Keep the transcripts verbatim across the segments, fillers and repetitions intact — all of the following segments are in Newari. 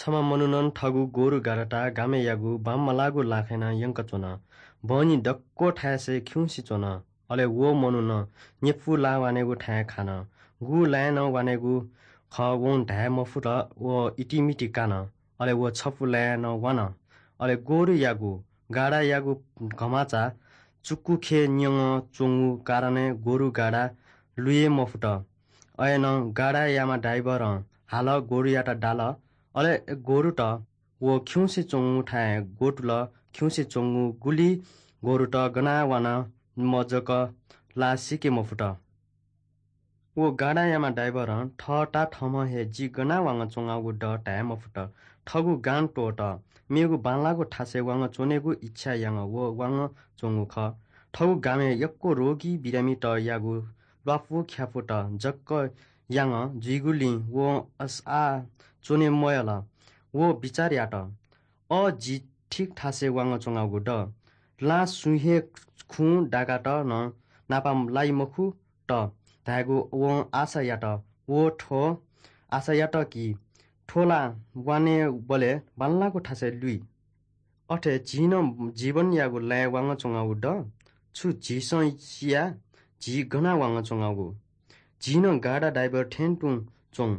छम्ह मनुखं थःगु गोरु गाडात गामय्‌यागु बांमलाःगु लाखय् नं यंकाच्वन। बहनी दक्व थाय्‌सय् खिउँसे च्वन। अले व मनुखं न्यपु लाः वानेगु थाय् खान। गु लाँय् नं वानेगु खः वं धाये मफुत। व इतिमिति कान। अले व छपु लाँय् नं वान। अले गोरुयागु गाडायागु घमाचा चुकुखे न्यंगं च्वंगु कारणय् गोरु गाडा लुये मफुत। अय्‌नं गाडायाम्ह ड्राइभरं हालः गोरुयात दाल। अले गोरुत व खिउँसे च्वंगु थाय् ग्वतुल। खिउँसे च्वंगु गुलि गोरुत गना वाना मजक ला सीके मफुत। व गाडायाम्ह ड्राइभरं थःता थःम्हं हे जि गना वांगः च्वंगु दु धाये मफुत। थःगु गां त्वःत मेगु बांलाःगु थासय् वांगः च्वनेगु इच्छा यानाः व वांगः च्वंगु खः। थःगु गामय् यक्व रोगी बिरामीतयागु ल्वापु ख्यापुत जक यानाः जुइगुलिं व अस-, आः च्वने मयाल। व बिचाः यात, अ, जि ठीक थासय् वांगः च्वंगु दु। लां सुं हे खुँ दाकात नं नापा लाइ मखुत धायेगु वं आशा यात। व थ्व आशा यात कि थ्व ला वानेबलय् बांलाःगु थासय् लुइ। अथे झी नं जीवनयागु लाँय् वांगः च्वंगु दु। छु झीसं सिया झी गना वांगः च्वंगु? झी नं गाडा ड्राइभर थें तुं च्वं।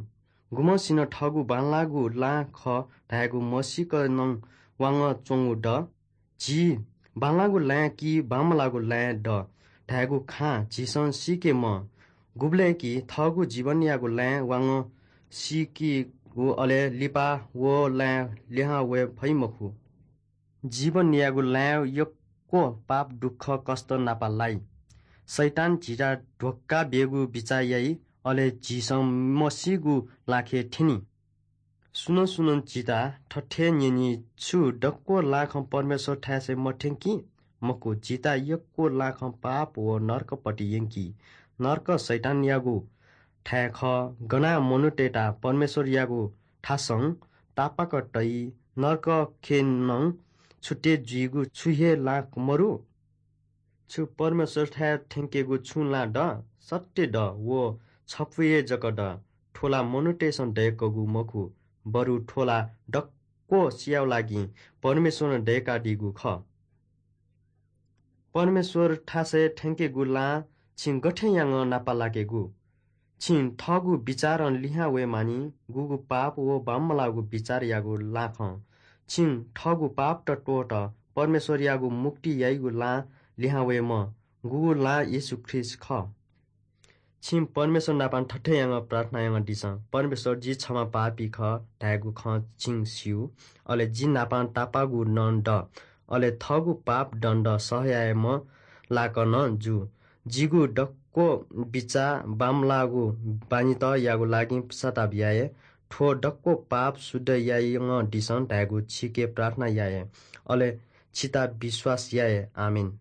गुम्हसिनं थःगु बांलाःगु लां खः धायेगु मसीक नं वांगः च्वंगु दु। झी बांलाःगु लाँय् कि बांमलाःगु लाँय् दु धायेगु खँ झीसं सीके मं। गुबलय् कि थःगु जीवनयागु लाँय् वांगः सीकेगु अले लिपा व लाँय् लिहां वये फइ मखु। जीवनयागु लाँय् यक्व पाप दुःख कष्ट नापा लाइ। शैतान झीत धोका ब्यूगु बिचाः याइ, अले झीसं मसीगु लाखे थ्यनी। सुनं सुनं झीत थथे न्यनी, छु दक्व लाखं परमेश्वर थाय्‌सय् मथ्यंकी? मखु, झीत यक्व लाखं पाप व नरकपट्टि यंकी। नरक शैतानयागु थाय् खः। गना मनूतय्‌त परमेश्वरयागु थासं तापाक तइ। नरकखे नं छुटे जुइगु छु हे लाख मरु? छु परमेश्वरथाय् थ्यंकेगु छुं ला द? सत्य द, व छपु हे जक द। थ्व ला मनूतय्‌सं दय्‌कूगु मखु, बरु थ्व ला दक्व सियाव लागिं परमेश्वरं दय्‌कादीगु खः। परमेश्वर थासय् थ्यंकेगु लां छिं गथे यानाः नापा लाकेगु? छिं थःगु बिचारं लिहां वये मानि, गुगु पाप व बांमलाःगु बिचारयागु लाखं। छिं थःगु पापत त्वःत परमेश्वरयागु मुक्ति याइगु लां लिहां वयेम्ह, गुगु लां येशू ख्रीष्ट खः। छिं परमेश्वर नाप थथे यानाः प्रार्थना यानादिसँ, परमेश्वर, जि छम्ह पापी खः धायेगु खँ छिं स्यू। अले जि नाप तापाःगु नं द। अले थःगु पाप दण्ड सह यायेम्ह लाक नं जु। जिगु दक्व बिचाः बांमलाःगु बानीतयागु लागिं पश्चाताप याये। थ्व दक्व पाप शुद्ध यानादिसँ धायेगु छिके प्रार्थना याये। अले छित विश्वास याये। आमेन।